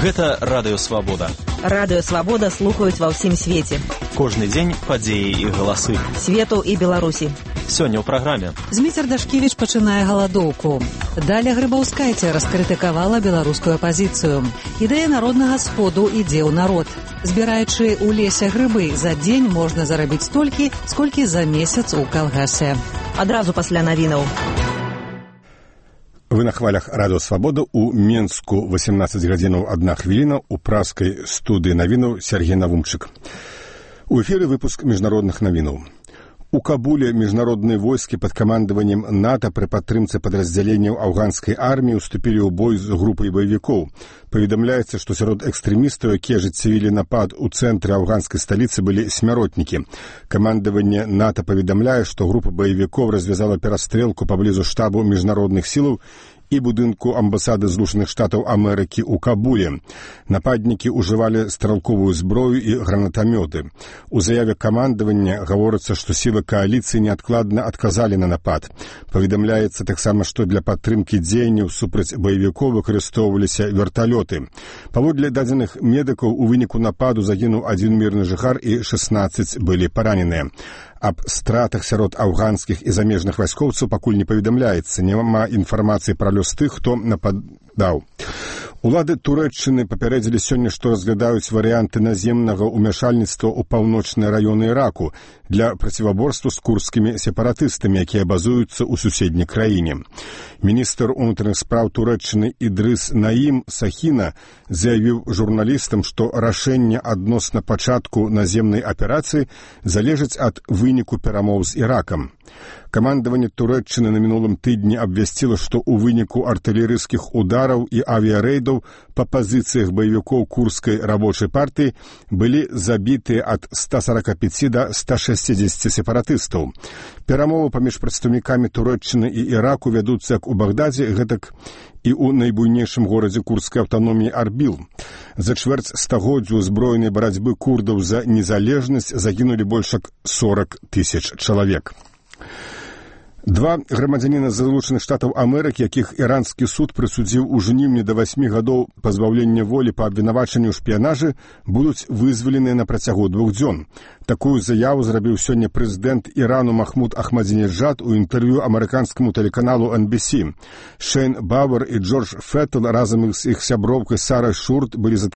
Гэта Радыё Свабода. Радыё Свабода слухаюць ва ўсім свеце. Кожны дзень падзеі і галасы. Свету і Беларусі. Сёння ў праграме. Зміцер Дашкевіч пачынае галадоўку. Даля Грыбаўскайце раскрытыкавала беларускую апазіцыю. Ідэя народнага сходу ідзе ў народ. Збіраючы ў лесе грыбы, за дзень можна зарабіць столькі, сколькі за месяц у калгасе. Адразу пасля навінаў. Вы на хвалях Радыё Свабода у Менску 18 гадзінаў 1 хвіліна, у праскай студыі навінаў Сергей Навумчык. У эфіры выпуск міжнародных навінаў. У Кабуле міжнародныя войскі пад камандаваннем НАТО пры падтрымцы падраздзяленняў афганскай арміі уступілі ў бой з групай баевікоў. Паведамляецца, што сярод экстрэмістаў, якія ажыццявілі напад у цэнтры афганскай сталіцы, былі смяротнікі. Камандаванне НАТО паведамляе, што група баевікоў развязала перастрэлку паблізу штабу міжнародных сілаў і будынку амбасады Злучаных Штатаў Амерыкі ў Кабуле. Нападнікі ўжывалі стралковую зброю і гранатамёты. У заяве камандавання гаворыцца, што сілы кааліцыі неадкладна адказалі на напад. Паведамляецца таксама, што для падтрымкі дзеянняў супраць баевікоў выкарыстоўваліся верталёты. Паводле дадзеных медыкаў, у выніку нападу загінуў 1 мірны жыхар і 16 былі параненыя. Аб стратах сярод афганскіх і замежных вайскоўцаў пакуль не паведамляецца. Няма інфармацыі пра лёс тых, хто нападаў. Улады Турэччыны папярэдзілі сёння, што разглядаюць варыянты наземнага ўмяшальніцтва ў паўночныя раёны Іраку для проціваборства з курдскімі сепаратыстамі, якія базуюцца ў суседняй краіне. Міністр унутраных спраў Турэччыны Ідрыс Наім Сахіна заявіў журналістам, што рашэнне адносна пачатку наземнай аперацыі залежыць ад выніку перамоў з Іракам. Камандаванне Турэччыны на мінулым тыдні абвясціла, што ў выніку артылерыйскіх удараў і авіярэйдаў па пазіцыях баевікоў курдскай рабочай партыі былі забітыя ад 145 да 160 сепаратыстаў. Перамовы паміж прадстаўнікамі Турэччыны і Іраку вядуцца як у Багдадзе, гэтак і ў найбуйнейшым горадзе курдскай аўтаноміі Арбіл. За чвэрць стагоддзя узброенай барацьбы курдаў за незалежнасць загінулі больш як 40 000 чалавек. 2 грамадзяніна Злучаных Штатаў Амерыкі, якіх іранскі суд прысудзіў у жніўні да 8 гадоў пазбаўлення волі па абвінавачанню ў шпіянажы, будуць вызваленыя на працягу 2 дзён. Такую заяву зрабіў сёння прэзідэнт Ірану Махмуд Ахмадзінеджад у інтэрв'ю амерыканскаму тэлеканалу NBC. Шэйн Бауэр і Джордж Феттл разам з іх сяброўкай Сарай Шурт былі